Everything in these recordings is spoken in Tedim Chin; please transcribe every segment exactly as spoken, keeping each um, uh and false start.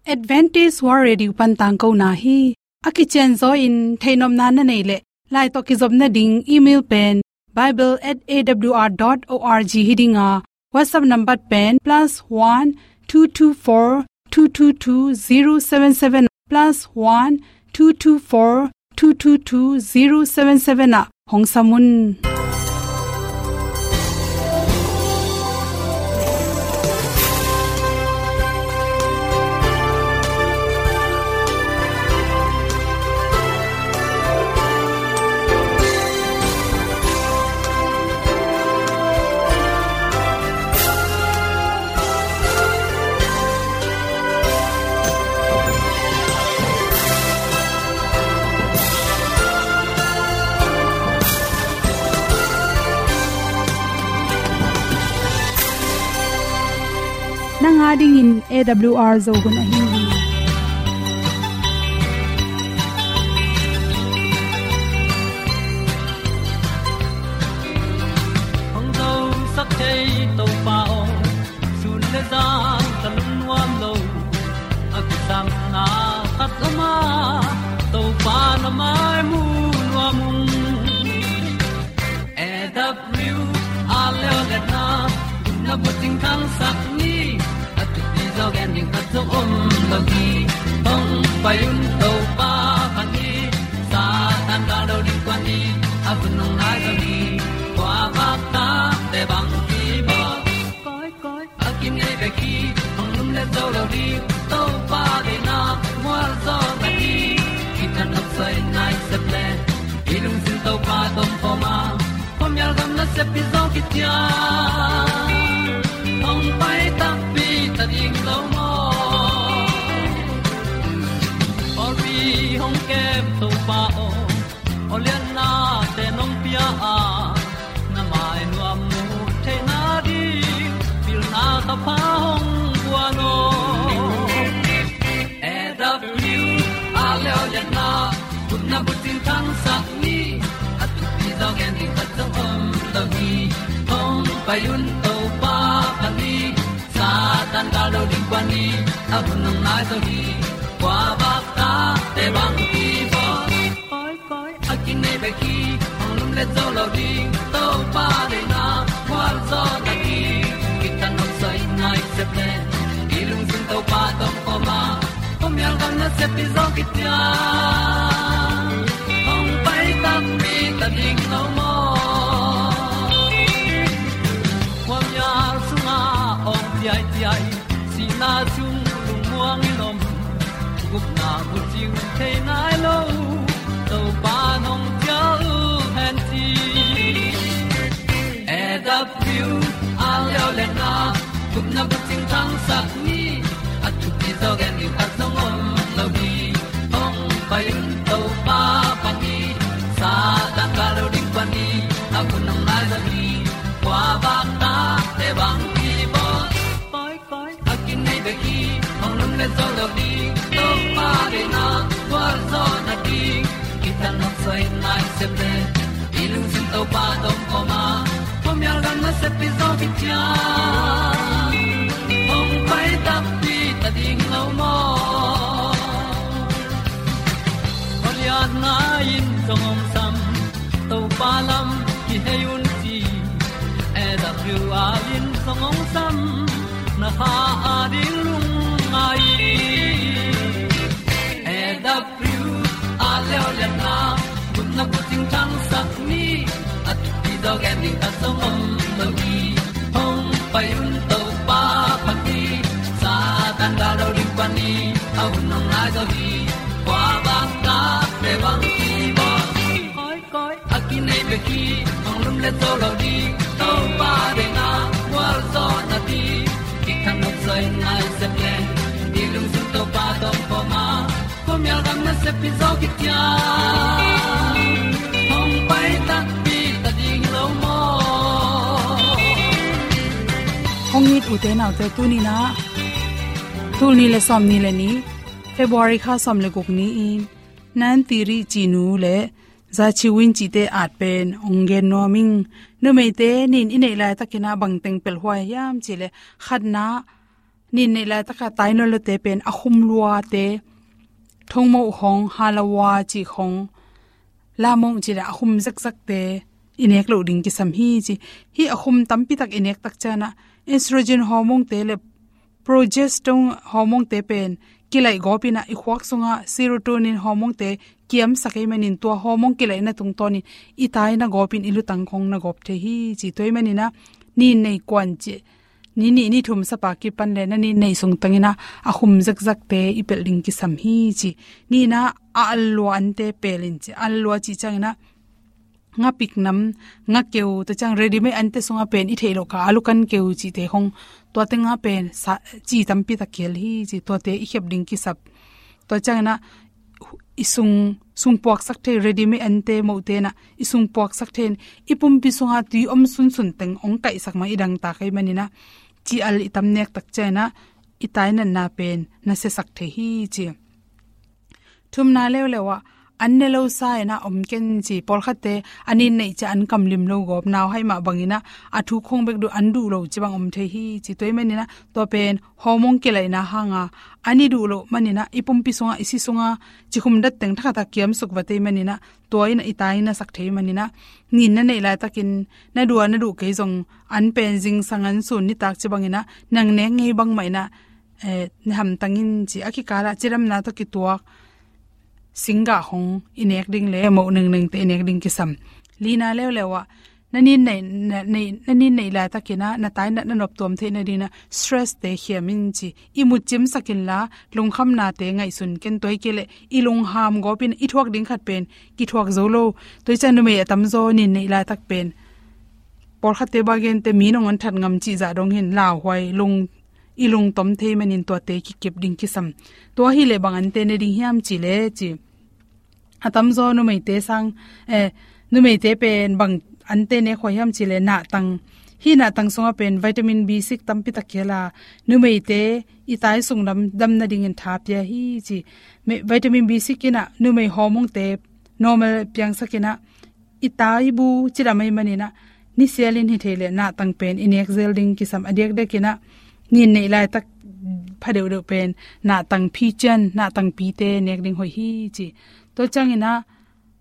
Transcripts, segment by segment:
Adventist World Radio pan tangkona hi. A kicianzaw in theihnopna na neih leh, lai tawh kizopna ding email pen bible at A W R dot org hi ding a, WhatsApp number pen plus one two two four two two two zero seven seven, plus one two two four two two two zero seven seven ah hong sam un. Nang a dingin A W R Zo hun ahi hi. Hong zosak thei Topa aw, sun le zan ka lungnuam lo. A kisapna khat om a, Topa na mai mu nuam ung. A W R leo le na, na bucing khangsak ni. A thupi zaw gen ding khat zong om lo hi. Hong pai un Topa pha ni. Satan ka lo ding kua ni. A hun hong nai zaw ni. Kua bak ta te bang ki bawl. Koi, koi, a kinei bek hi, hong lum le zo lo ding, Topa deihna mual zaw na hi. Kithat nopsai nai sep le, i lungsim Topa tawh om khawm a, khuamial gam nasep hi zaw kician. Hong pai takpi ta ding lo maw? Pawlpi hong kem Topa aw, awliatnate nong pia a, na mai nuam mu theihna ding, pilna thapha hong guan aw. A W R leo le na, gupna bucing khangsak ni. A thupi zaw gen ding khat zong om lo hi. Hong pai un Topa pha ni. Satan ka lo ding kua ni. A hun hong nai zaw hi. Kua bak ta te bang ki bawl. Koi, koi, a kinei bek hi, hong lum le zo lo ding, Topa deihna mual zaw na hi. Kithat nopsai nai sep le, i lungsim Topa tawh om khawm a, khuamial gam nasep hi zaw kician. Hong pai takpi ta ding lo maw? Khuamial sungah awng ciaiciai, sihna sung lungmuang in om, gupna bucing thei nai lo, Topa nong cial hen ci. A W R leo le na, gupna bucing khangsak ni. A thupi zaw gen ding khat zong om lo hi. Hong pai un Topa pha ni. Satan ka lo ding kua ni. A hun hong nai zaw hi. Kua bak ta te bang ki bawl. Koi, koi, a kinei bek hi, hong lum le zo lo ding, Topa deihna mual zaw na ding. Kithat nopsai nai sep le, i lungsim Topa tawh om khawm a, khuamial gam nasep hi zaw kician. Hong pai takpi ta ding lo maw? Awliatna in zong hong sam, Topa lam kihei un ci. A W R in zong hong sam, na kha a ding lungngai. A W R leo le na, gupna bucing khangsak ni. A thupi zaw gen ding khat zong om lo hi. Hong pai un Topa pha ni. Satan ka lo ding kua ni. A hun hong nai zaw hi. Kua bak ta te bang ki bawl. Koi, koi, a kinei bek hi, hong lum le zo lo ding, Topa deihna mual zaw na ding. Kithat nopsai nai sep le, i lungsim Topa tawh om khawm a, khuamial gam nasep hi zaw kician. Hong pai takpi ta ding lo maw? Hong it ute naute, tuni-in ah, tul nih le sawmnih le nih, February kha sawm le guk ni-in, Nan Tiri Cinu le Za Chiu Win Cite at pen hong gen nuam ing. Numeite nih in i neih laitakin ah bangteng pelh huai hiam cih leh, khatna, Nin neih laitaka tainawlawte pen a khum luate, thongmoh khong, halawa cih khong, lamong cih le a khum zekzekte i nek loh ding kisam hi ci. Hih a khum tampitak i nek tak ciangin ah estrogen hormone-te le progesterone hormone-te pen kilaih gawpin ah i khuak sungah serotonin hormone-te kiamsak ahih manin tua hormone kilaihna tungtawnin i taina gawpin i lutang khong na gawp thei hi ci. Tua ahih manin ah nin neih kuan ci, ni nih ni thum sapa kipan le na nin neih sung tangin ah a khum zekzekte i pelh ding kisam hi ci. Nihna ah a allua ante pelin ci. Allua cih ciangin ah ngapik nam, ngakeu, tua ciang ready-made ante sungah pen i theih loh ka alukan keu cihte khong, tua tengah pen sa, ci tampitak kihel hi ci. Tuate i khep ding kisap. Tua ciangin ah i sung, sung puaksak thei, ready-made ante mohte in ah i sung puaksak thei in i pumpi sungah tui om sunsun teng hong kaihsak mah i dangtak ahih manin ah ci al i tam nek tak ciangin ah i tainatna pen na siasak thei hi ci. Thumna leuleu ah an ne lo sa in ah om ken ci. Pawlkhatte a nin neih ciang an kam lim lo gawp, nauhai mah bangin ah a thu khong bek duh, an duh lo ci bang om thei hi ci. Tua ahih manin ah tua pen hormone kilaihna hanga an i duh loh manin ah i pumpi sungah, i si sungah cikhum dat teng thakhatah kiamsuk vat ahih manin ah tua in ah i taina sak thei manin ah nin na neih laitakin na duh a na duh kei zong an pen zingsang an sun nitak ci bangin ah nang nek ngei bangmah in ah, eh, na hamtang in ci. A kikalah cidamna tawh kituak singgah khong i nek ding le moh nengnengte i nek ding kisam. Lina leuleu ah na nin neih, na, neih, na nin neih laitakin ah na tainat na noptuam theih nadingin ah stress-te khiam in ci. I mut cimsak inla lungkhamnate ngaihsun ken. Tua hi kei leh i lungham gawpin i thuak ding khat pen kithuak zo lo. Tua hi ciang numei a tamzaw nin neih laitak pen pawlkhatte bang gente mi nong an that ngam cih zah dong hi in lauhuai, lung, i lungtom thei manin tuate kikep ding kisam. Tua hi leh bang ante ne ding hiam cih leh ci. A tamzaw numeite sang, eh, numeite pen bang ante nek huai hiam cih leh nahtang. Hih nahtang sungah pen vitamin B six tampitak kihel a, numeite i tai sung dam, dam nadingin tha pia hi ci. Me, vitamin B six in ah numei hormone-te normal piangsak in ah i taibu cidam ahih manin ah nisialin hi thei leh nahtang pen i nek zel ding kisam. A diakdiakin ah nin neih laitak pha deuhdeuh pen nahtang phi cian, nahtang pite nek ding hoih hi ci. Tua ciangin ah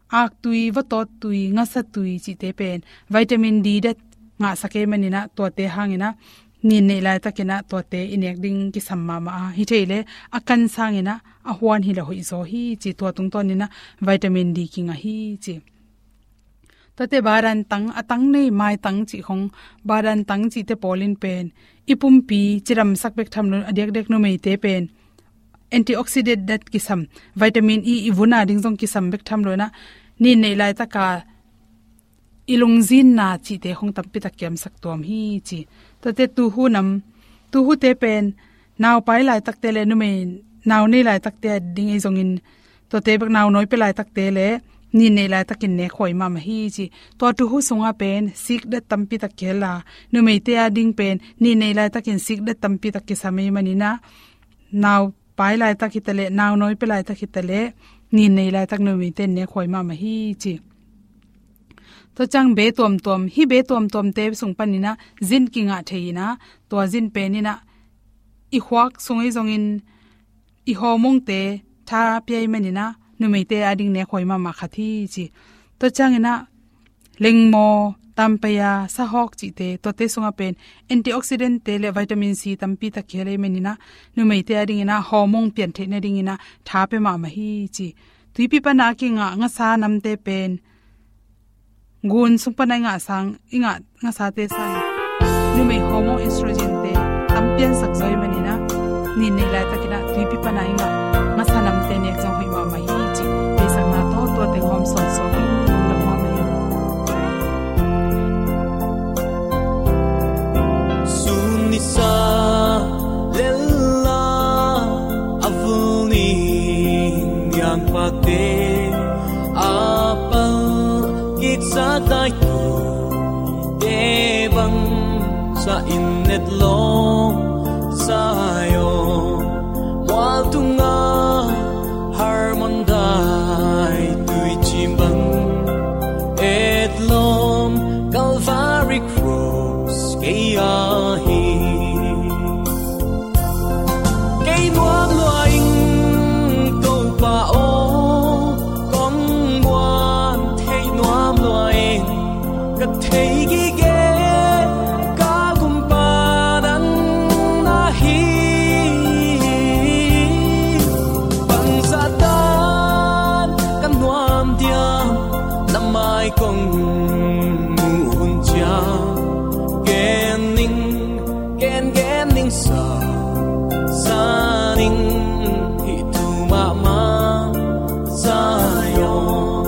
aktui, vatawttui, ngasatui cihte pen vitamin D dat ngahsak ahih manin ah tuate hangin ah nin neih laitakin ah tuate i nek ding kisam mahmah a, hi thei leh a kan sangin ah a huan hi leh hoih zaw hi ci. Tua tungtawnin ah vitamin D kingah hi ci. Tuate badan tang, a tang nei, maitang cih khong, badan tang cihte pawlin pen i pumpi cidamsak bek tham loin a diakdiak numeite pen antioxidant dat kisam, vitamin E i vun a ding zong kisam bek tham loin ah nin neih laitaka i lungzinna cihte khong tampitak kiamsak tuam hi ci. Tuate tuhu nam, tuhute pen naupai laitakte le numei nau nei laitakte a ding ahi zongin tuate bek nau nawi pia laitakte le nin neih laitakin nek huai mahmah hi ci. Tua tuhu sungah pen sikdat tampitak kihel a, numeite a ding pen nin neih laitakin sikdat tampitak kisam ahih manin ah naupai laitak hi ta leh, nau nawi pia laitak hi ta leh nin neih laitak numeite nek huai mahmah hi ci. Tua ciang be tuamtuam, hih be tuamtuamte sung panin ah zin kingah thei in ah, tua zin pen in ah i khuak sung ahi zongin i hormone-te tha pia ahih manin ah numeite a ding nek huai mahmah khat hi ci. Tua ciangin ah lengmaw, tampaya, sahawk cihte, tuate sungah pen antioxidant-te le vitamin C tampitak kihel ahih manin ah numeite a dingin ah hormone pian theih nadingin ah tha pia mahmah hi ci. Tuipi pana kingah ngasa namte pen gun sung pana i ngah sang, i ngah ngasate sang numei hormone estrogen-te tam piansak zaw ahih manin ah nin neih laitakin ah tuipi pana i ngah ngasa namte nek zong hoih mahmah hi ci. Beisakna tawh tua teng hawm sawnsawn hi. Lungdam mahmah hi. Sun nisa lella a vul ni niangpate a pal kiksa dai tute bang sa in etlawm Zion mual tunga harmon dai tuicim bang etlawm Calvary Cross kei ahi. Kong muh hun ciang gen ning, gen gen ning sa, sa ning hih thu mahmah. Zion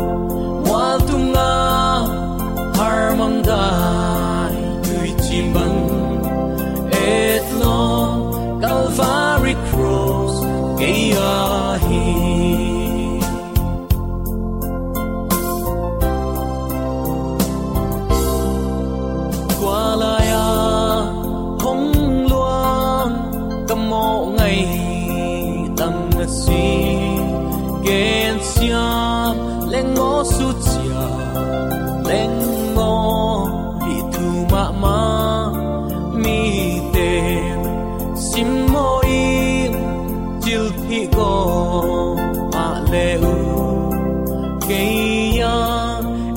mual tungah harmang dai tuici bang et lo Calvary Cross kei ahi. Tua lai-a hong luang ka mawh ngei tam na si, gensiam leng maw, susia leng maw, hih thu mahmah mite simmaw in, cilphih ko mah le uh, kei a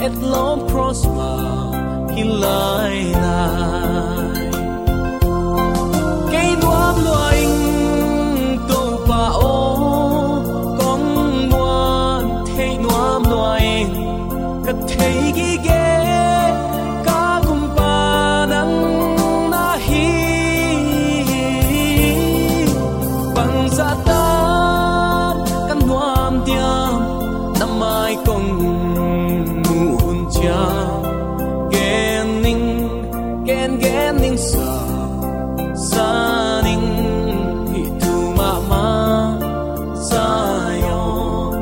etlawm cross mah hi lailai. Kei nuam lua ing Topa aw, kong muan theih nuam lua ing. Ka thei gige ka gumpa nang na hi. Bangzah tan ka nuam diam, na mai kong muh hun ciang gen ning, gen gen ning sa, sa ning hih thu mahmah. Zion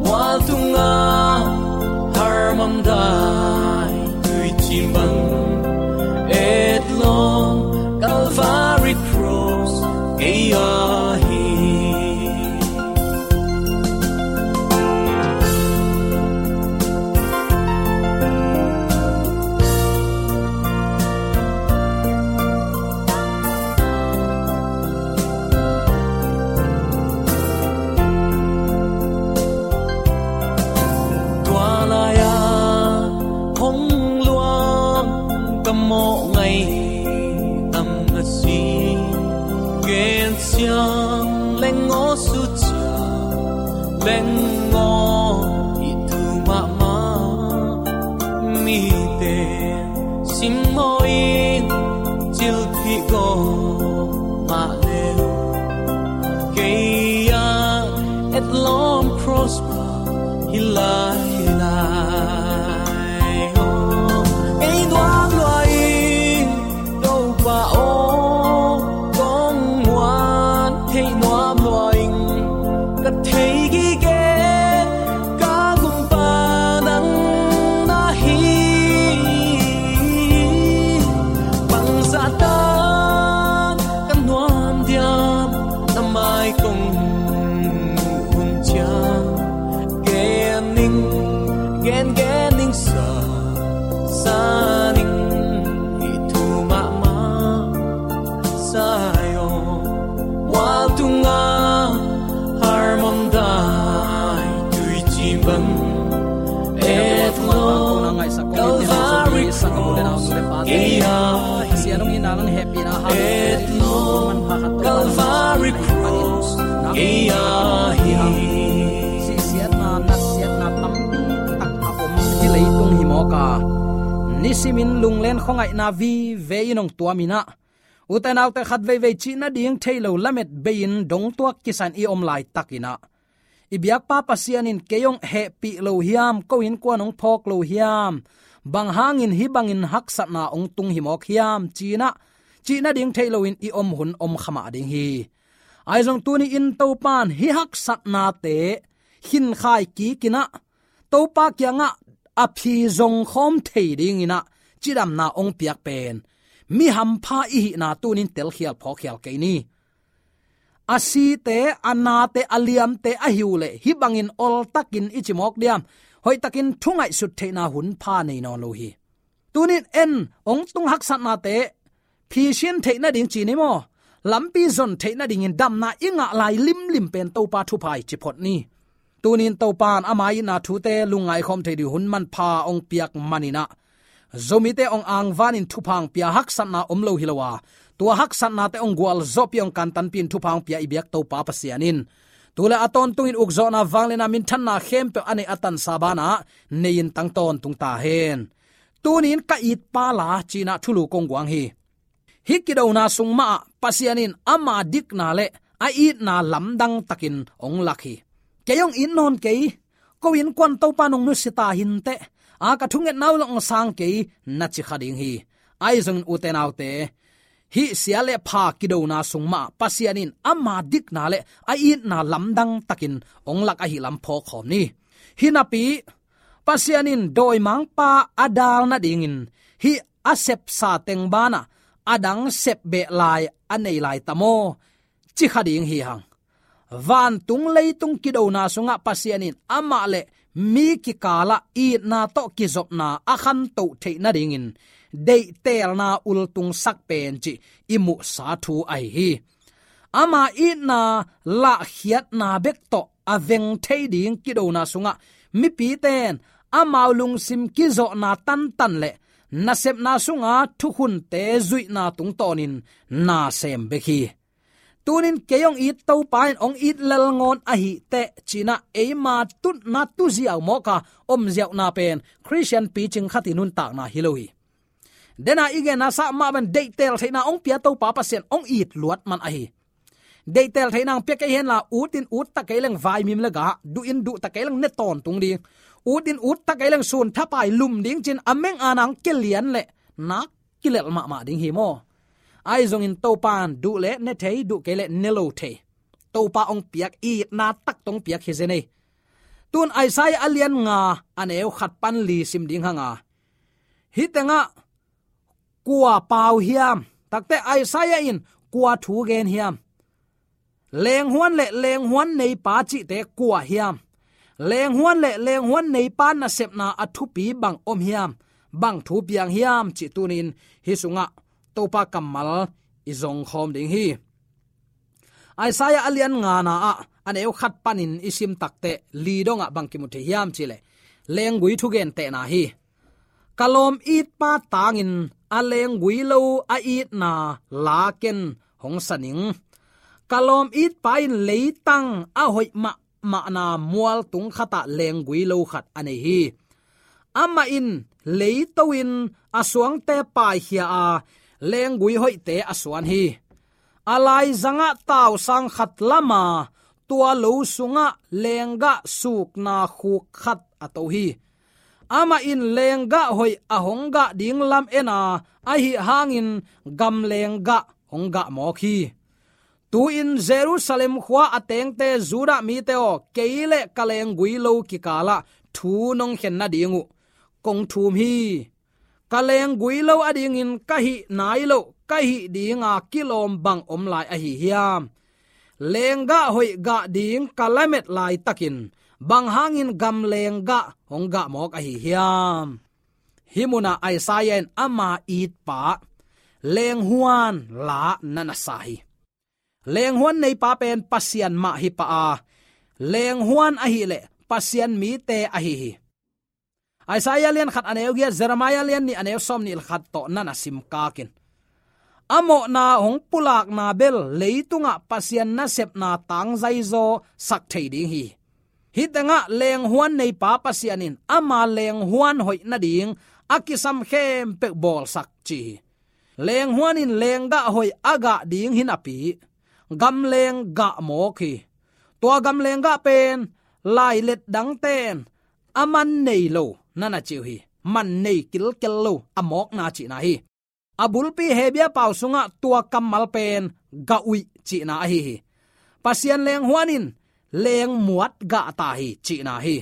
mual tungah harmang dai tuici bang et lo Calvary Cross kei ahi. Tua lai-a hong luang ka mawh ngei tam na si, gensiam leng aw, sucia leng aw, hih thu mahmah mite simmaw in, cilphih ko mah le uh, kei a etlawm cross mah hi lailai. Kei nuam lua ing Topa aw, kong muan theih nuam lua ing. Ka thei gige ka gumpa nang na hi. Bangzah tan ka nuam diam, na mai kong muh hun ciang gen ning, gen gen ning sa, sa ning hih thu mahmah. Zion mual tungah harmang dai tuici bang et lo Calvary Cross kei ahi. Et lo Calvary Cross kei ahi. Sihsiatna, natsiatna tampi tak a om hih leitung hi mawk a, nisimin lunglen khuangaihna vive in hong tuam in ah, ute naute, khat veivei cih nading thei lo lamet bei-in dongtuak kisa-in i om laitakin ah, i biakpa Pasian in kei hong hehpih lo hiam, ko innkuan hong phawk lo hiam, bang hangin hih bangin haksatna hong tung hi mawk hiam ci-in ah, cih nading thei loin i om hun om kha mah ding hi. Ahi zong tuni-in Topa in hih haksatnate khinkhai kikin ah, Topa kiangah a phi zong khawm thei dingin ah cidamna hong piak pen mi hampha i hihna tuni-in telkhial phawkkhial kei ni. A site, a nate, a liamte ahi uh leh hih bangin oltakin i ci mawk diam, hoihtakin thu ngaihsut theihna hun pha nei nawn lo hi. Tuni-in en, hong tung haksatnate phi sin theih nading ci ni maw, lampi zon theih nadingin damna i ngah lai limlim pen Topa thupha i ci phot ni. Tuni-in Topa in ama itna thute lungngai khawm thei ding hun manpha hong piak manin ah, Zomite hong angvanin thupha hong pia, haksatna om lo hi lo a, tua haksatnate hong gualzawhpih, hong kantanpih in thupha hong pia i biak Topa Pasian in Tu le a tawntungin ukzawhna, vangliatna, minthanna khempeuh a neih a tansa banah nei-in tang tawntung ta hen. Tuni-in ka itpa la ci-in ah thulu kong guang hi. Hih kidona sung mahah Pasian in ama dikna le a itna lamdang takin hong lak hi. Kei hong it nawn kei, ko innkuan Topa nong nusia ta hinteh, a ka thungetna uh lah hong sang kei, na ci kha ding hi. Ahi zongin ute naute, hih sia le pha kidona sung mahah Pasian in ama dikna le a itna lamdang takin hong lak ahih lam phawk khawm ni. Hinapi Pasian in dawimangpa a dal nadingin hih a sepsa teng banah a dang sep beh lai a nei lai ta maw, ci kha ding hi hang. Vantung leitung kidona sungah Pasian in amah le mi kikalah itna tawh kizopna a khantoh theih nadingin deihtelna ultungsak pen cih i muhsa thu ahi hi. Ama itna lahkhiatna bek tawh a veng thei ding kidona sungah mipite in amau lungsim kizawhna tantan le nasepna sunga thukhunte zuihna tungtawnin na sem bek hi. Tuni-in kei hong it Topa in hong it lelngawn ahih teh ci-in ah eima tutna tuziau mawk a om ziauhna pen Khristian picing khat i nuntakna hi lo hi. Dena i genna sap mah bangin deihtel theihna hong pia Topa Pasian hong it luat man ahi. Deihtel theihna hong pia kei henla, utin ut ta kei leng vaimim le gah, duhin duh ta kei leng ne tawntung ding, utin ut ta kei leng sun thapai lum ding ci-in a meng a nang kilian leh nak kilelh mahmah ding hi maw. Ahi zongin Topa in duh leh ne thei, duh kei leh ne lo thei. Topa hong piak itna tak tawh hong piak hi zen ei. Tun Isaiah a lian nga, a neu khat pan li sim ding hang a, hih tengah kua pau hiam? Takte Isaiah in kua thu gen hiam? Lenghuan le lenghuan neipa cihte kua hiam? Lenghuan le lenghuan neipa nasepna a thupi bang om hiam? Bang thu piang hiam cih tuni-in hih sungah Topa kammal i zong khawm ding hi. Isaiah a lian ngana ah a neu khat panin i sim takteh li dongah bang kimu thei hiam cih leh, lenggui thugentehna hi. Ka lawm itpa tangin a lenggui lo a itna la ken hong sa ning. Ka lawm itpa in leitang a hoih mahmahna mualtung khatah lenggui lo khat a nei hi. Amah in leito in a suangte paikhia a, lenggui hoihte a suan hi. A laizangah tausang khat lama, tua lo sungah lenggah sukna khuk khat a to hi. Amah in lenggah hoih a hong gah ding lam en a, ahi hangin gam lenggah hong gah mawk hi. Tu-in Jerusalem khua a tengte, Judah mite aw, kei le ka lenggui lo kikalah thu nong khen nading uh kong thum hi. Ka lenggui lo adingin ka hih nai loh, ka hih dinga kilawm bang om lai ahi hiam? Lenggah hoih gah ding ka lamet laitakin bang hangin gam lenggah hong gah mawk ahi hiam? Hih munah Isaiah in ama itpa lenghuan la na na sa hi. Lenghuan neipa pen Pasian mah hi pah a, lenghuan ahih leh Pasian mite ahi hi. Isaiah lian khat a neu giat, Jeremiah lian nih a neu sawmnih le khat tawh na na simkak in. A mawhna hong pulakna bel leitungah Pasian nasepna tangzaizaw sak thei ding hi. Hih tengah lenghuan neipa Pasian in ama lenghuan hoih nading a kisam khempeuh bawlsak ci hi. Lenghuan in lenggah hoih a gah ding hi napi, gam lenggah mawk hi. Tua gam lenggah pen lailet dangte in a man nei lo na na ci uh hi. Man nei kilkel lo, a mawkna cihna hi. A bulpi Hebia pau sungah tua kammal pen gah uih cihna ahi hi. Pasian lenghuan in lengmuat gah ta hi cihna hi.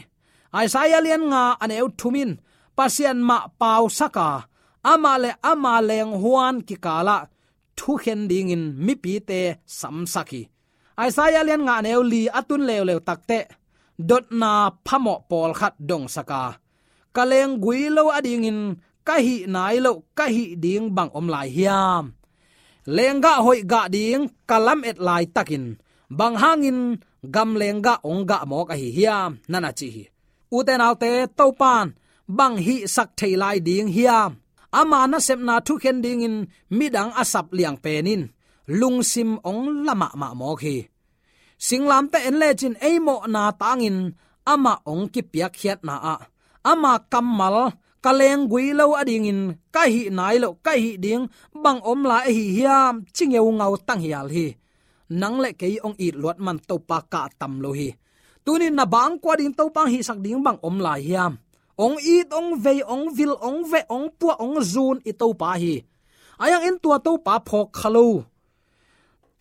Isaiah lian nga a neu thum in Pasian mah pausak a, amah le ama lenghuan kikalah thukhen dingin mipite samsak hi. Isaiah lian nga a neu li a tun leuleu takteh dotna phamawh pawlkhat dongsak a, ka lenggui lo adingin ka hih nai loh, ka hih ding bang om lai hiam? Lenggah hoih gah ding ka lamet laitakin bang hangin gam lenggah hong gah mawk ahi hiam? Na na ci hi. Ute naute, Topa in bang hihsak thei lai ding hiam? Ama nasepna thukhen dingin midang a sap liang pen in lungsim hong la mahmah mawk hi. Singlamteh en lecin ei mawhna tangin amah hong kipiakkhiatna ah, ama kammal, ka lenggui lo adingin ka hih nai loh, ka hih ding bang om lai ahi hiam, ci ngeungau tanghial hi. Nang le kei hong it luat man Topa kah tam lo hi. Tunin na bangkua ding Topa hong hihsak ding bang om lai hiam? Hong it, hong vei, hong vil, hong veh, hong puah, hong zun i Topa hi. Ahi hangin tua Topa phawk kha lo.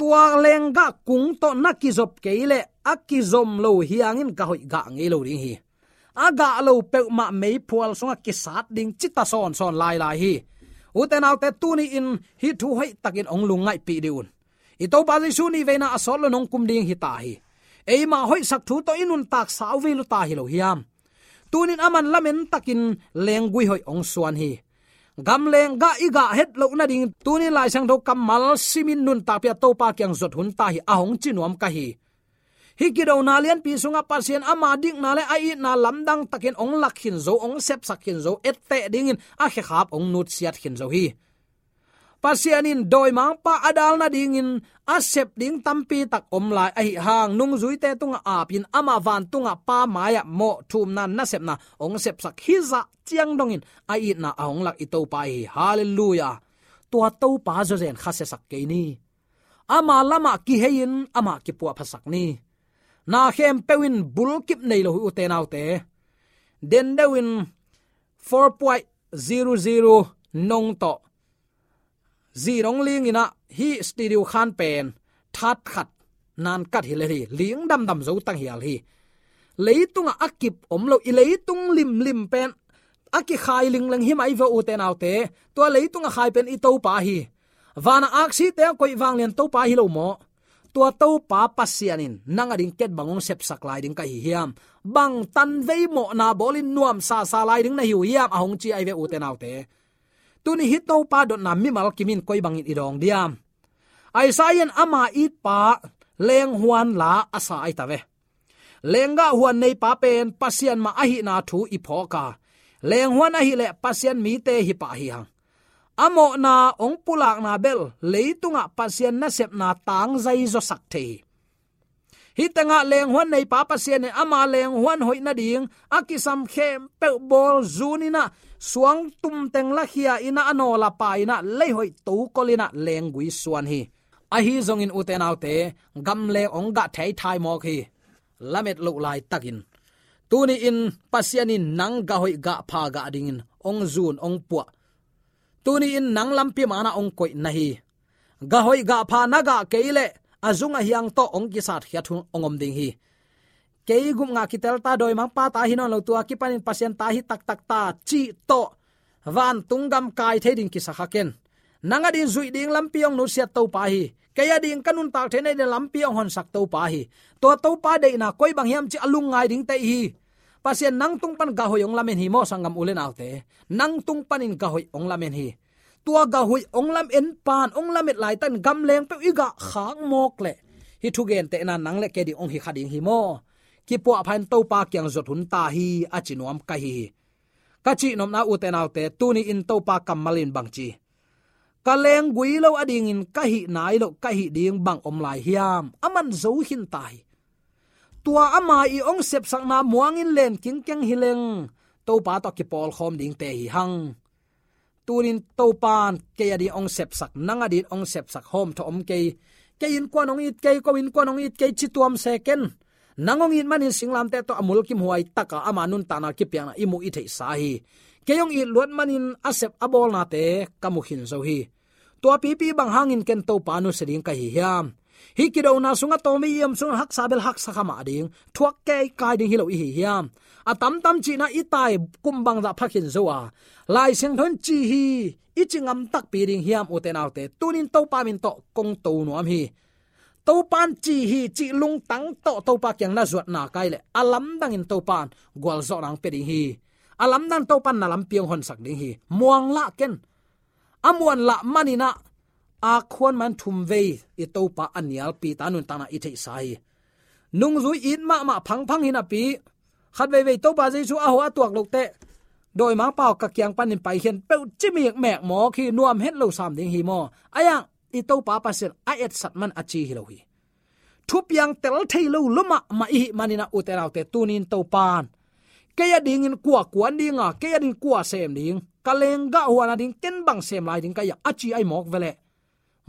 Tua lenggah kung tawh na kizop kei leh a kizom lo hi hangin gah hoih gah ngei lo ding hi. A gah lo peuhmah meiphual sungah kisat ding cita sawnsawn lailai hi. Ute naute, tuni-in hih thu hoihtakin hong lungngaihpih dih un. I Topa Jesu nihveina a sawt lo nong kum ding hi ta hi. Eimah hoihsak thu tawh i nuntak sau vei lo ta hi lo hiam? Tunin aman lamen takin lenggui hoih hong suan hi. Gam lenggah i gah het loh nading tunin Lai Siangtho kammal simin nuntakpih a Topa kiang zuat hun ta hi, a hong ci nuam ka hi. Hih kidona lianpi sungah Pasian ama dikna le a itna lamdang takin hong lak khin zo, hong sepsak khin zo, etteh dingin a khekhap hong nutsiat khin zo hi. Pasian in dawimangpa a dal nadingin a sep ding tampi tak om lai ahi hang, nungzuite tungah apin amah vantungah Pa mai-ah mawh thumna nasepna hong sepsak hizah ciang dongin a itna a hong lak i Topa hi. Halleluiah. Tua Topa zawzen khasiasak kei ni. Ama lamah kihei-in amah kipuahphasak ni. Na khempeuh in bulkip nei lo hi, ute naute. Dendeuh in four point zero zero nong tawh zi nong ling in ah, hih studio khan pen that khat nan kat hi le hi, ling damdam zo tanghial hi. Leitungah a kip om lo, i leitung limlim pen a kikhai lingleng hi mai ve, ute naute. Tua leitung a khai pen i Topa hi. Van a aksite a koih vanglian Topa hi lo maw? Tua Topa Pasian in nang ading ken bang hong sepsak lai ding ka hi hiam? Bang tanvei mawhna bawlin nuamsasa lai ding na hi uh hiam, a hong ci ahi ve, ute naute. Tuni hih Topa dotna mimal kimin koi bangin i dawng diam? Isaiah in ama itpa lenghuan la a sa ahi ta ve. Lenggah huan neipa pen Pasian mah ahihna thu i phawk a, lenghuan ahih leh Pasian mite hi pah hi hang. A mawhna hong pulakna bel leitungah Pasian nasepna tangzai zawsak thei hi. Hih tengah lenghuan neipa Pasian in ama lenghuan hoih nading a kisam khempeuh bawl zun in ah, suang tumteng lakhia in ah, a nawla pa in ah, lei hoih tokol in ah lenggui suan hi. Ahi zongin, ute naute, gamleng hong gah theithai mawk hi. Lamet loh laitakin tuni-in Pasian in nang gah hoih gah pha gah dingin hong zun hong puah. Tuni-in nang lampi manah hong koih na hi. Gah hoih gah pha na gah kei leh a zung a hiang tawh hong kisatkhiat hun hong om ding hi. Kei gupngah kitel ta, dawimangpa ta hi nawn lo, tua kipanin Pasian ta hi taktak ta cih tawh vantung gam kai thei ding kisa kha ken. Nang ading zuih ding lampi hong nusiat Topa hi. Kei ading ka nuntak theihna ding lampi hong honsak Topa hi. Tua Topa deihna koi bang hiam cih a lungngai dingte i hi. Pasian nang tung pan gah hoih hong lamen hi maw, sanggam u le naute. Nang tung panin gah hoih hong lamen hi. Tua gah hoih hong lamen pan hong lamet laitakin gamleng peuh i gah khak mawk leh, hih thugentehna nang le kei ding hong hi kha ding hi maw? Kipuahpha in Topa kiang zuat hun ta hi, a ci nuam ka hi hi. Ka cihnopna, ute naute, tuni-in Topa kammal in bang ci? Ka lenggui lo adingin ka hih nai loh, ka hih ding bang om lai hiam? A man zo khin ta hi. Tua ama i hong sepsakna muangin len kingkeng hi leng, Topa tawh kipawlkhawm dingte hi hang. Tunin Topan kei ading hong sepsak, nang ading hong sepsak hawmthawh om kei. Kei innkuan hong it kei, ko innkuan hong it kei, ci tuam se ken. Nang hong it manin singlamteh tawh a mulkimhuai taka ama nuntakna kipiakna i muh i theihsa hi. Kei hong it luat manin a sep a bawlnate ka mu khin zo hi. Tua pipi bang hangin ken Topa nusia ding ka hi hiam? Hih kidona sungah tawm i om sungah haksa bel haksa kha mah ding, thuak keikai ding hi lo i hi hiam? A tamtam cihna i tai kum bangzah pha khin zo a, Lai Siangtho in ci hi, i ci ngam takpi ding hiam, ute naute? Tunin Topa min tawh kong to nuam hi. Topan ci hi cih lungtang tawh Topa kiang na zuatna kai leh, a lamdangin Topan gualzawhna hong pia ding hi. A lamdang Topan na lampi hong honsak ding hi. Muang lah ken. A muan lah manin ah, a khuan man thum vei i Topa a nialpi ta nuntakna i theihsa hi. Nungzui it mahmah phangphang hi napi, khat veivei Topa Jesu a hawh a tuak loh teh, dawimangpa aw, ka kiang panin paikhia in peuh ci mikmek mawk hi, nuam het lo sam ding hi maw? Ahi hang i Topa Pasian a etsat man a ci hi lo hi. thupiang tel thei lo lua mahmah i hih manin ah, ute naute, tunin Topa'n kei a dingin kua kuan ding a, kei a dingin kua sem ding, ka lenggah huan a ding ken bang sem lai ding ka hia, a ci ahi mawk ve leh.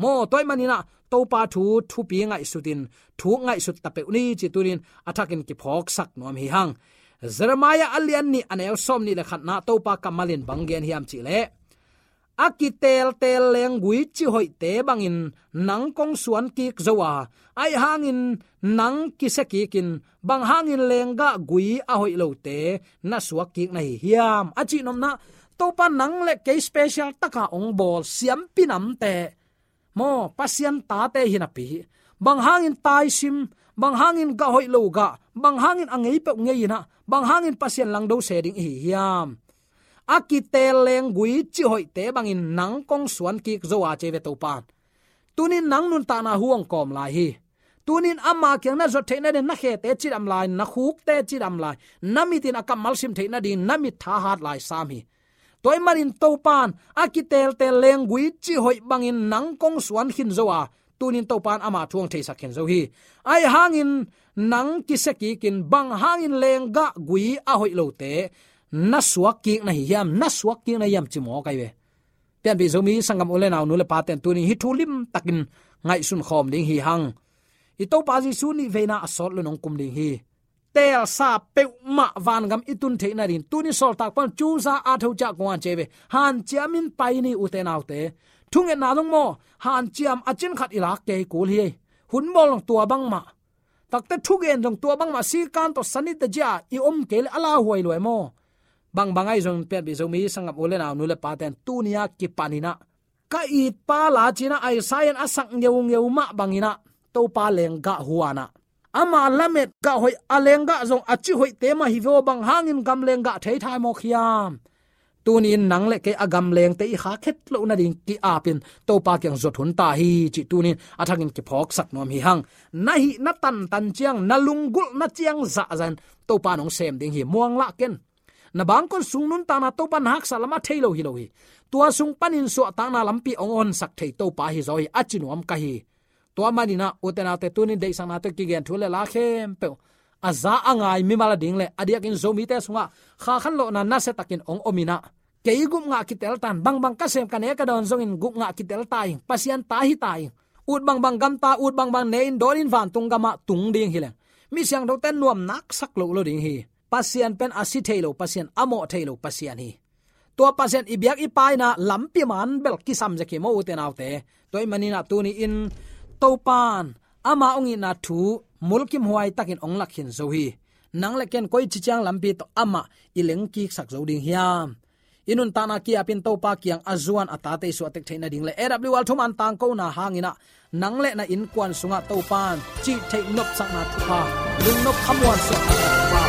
Maw, tua ahih manin ah Topa thu thupi ngaihsutin, thu ngaihsut ta peuh ni ci tunin a thakin kiphawksak nuam hi hang. Jeremiah a lian nih a neu sawmnih le khatna Topa kammalin bang gen hiam cih leh, a kiteltel lenggui cihoihte bangin nang kong suan kik zo a, ahih hangin nang kisia kikin, bang hangin lenggah gui a hoih lote na suak kik na hi hiam, a cihnopna. Topa nang le kei special taka hong bawl siampi namte, maw, Pasian tate hi napi, bang hangin taisim, bang hangin gah hoih lo gah, bang hangin a ngei peuh ngei in ah, bang hangin Pasian langdo se ding i hi hiam? A kitel lenggui cihoihte bangin nang kong suan kik zo a, ci ve Topa'n. Tunin nang nuntakna hu hong kawm lai hi. Tunin ama kiang na zuat theih nading, na khete cidam lai, na khukte cidam lai, na mitin a kammal sim theih nading na mit thahat lai sam hi. Tua ahih manin Topa'n a kiteltel lenggui cihoih bangin nang kong suan khin zo a, tunin Topa'n ama thu hong theisak khin zo hi. Ahih hangin nang kisia kikin, bang hangin lenggah gui a hoih lote na suak kik na hi hiam, na suak kik na hiam, ci mawk ahi ve. Pianpih Zomi sanggam u le nau, nu le pate'n tunin hih thu limtakin ngaihsun khawm ding hi hang. I Topa Jesu nih veina a sawt lun hong kum ding hi. Teelsa peuhmah vangam i tun theih nading, tunin sawltak Paul in cuza a tho ciah kong an, ci ve. Hanciamin pai ni, ute naute. Thungetna zong maw, hanciam a cin khat i lak kei kul hi. Hun bawl zong tua bangmah. Takte thugen zong tua bangmah, sikan tawh sanite ciah i om kei leh a lauhuai lua maw. Bangbang ahi zongin, pianpih Zomi sanggam u le nau, nu le pate'n tuni a kipanin ah, ka itpa la ci-in ah Isaiah in a sak ngeungeu mah bangin ah, Topa lenggah huan ah, ama lamet gah hoih, a lenggah zong a cihoihte mah hi ve aw, bang hangin gam lenggah thei thai mawk hiam? Tunin nang le kei a gam lengte i khak het loh nading ki-apin Topa kiang zuat hun ta hi cih tunin a thakin kiphawksak nuam hi hang. Na hih na tantan ciang, na lunggulhna ciang zahzah in Topa'n hong sem ding hi, muang lah ken. Na bangkon sung nuntakna Topa na haksa lam a thei lo hi lo hi. Tua sung panin suahtakna lampi hong honsak thei Topa hi zaw hi, a ci nuam ka hi. Tua manin ah, ute naute, tunin deihsakna tawh kigen thu le la khempeuh a za a ngai mimal a ding le a diakin Zomite sungah kha khanlawhna nasia takin hong om in ah, kei gup ngah kitel tan, bangbang ka sem ka ne ka dawn zongin gup ngah kitel ta ing, Pasian ta hi ta ing. Ut bangbang gamta, ut bangbang ne-in dawnin vantung gamah tung ding hi leng, mi siangthote nuam naksak lo lo ding hi. Pasian pen a si thei lo Pasian, a mawh thei lo Pasian hi. Tua Pasian i biak i paina lampi man bel kisam zek hi maw, ute naute. Tua ahih manin ah tuni-in Topa'n ama hong itna thu mulkimhuai takin hong lak khin zo hi. Nang le ken koici ciang lampi tawh amah i lengkiksak zo ding hiam? I nuntakna ki-apin Topa kiang a zuan a tate i suahtek theih nading le A W R thuman tangkona hangin ah, nang le na innkuan sungah Topa'n cih theih nopsakna thupha, lungnop khamuan suahtakna thupha.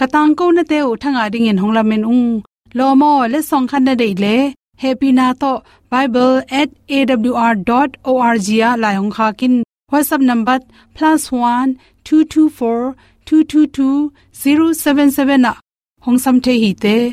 Ka tangkonate uh thangah dingin hong lamen ung. Lawm aw, letsong khat na deih leh, hehpihna tawh bible at A W R dot O R G ah lai hong khak in. WhatsApp number plus one two two four two two two zero seven seven ah hong sam thei hi teh.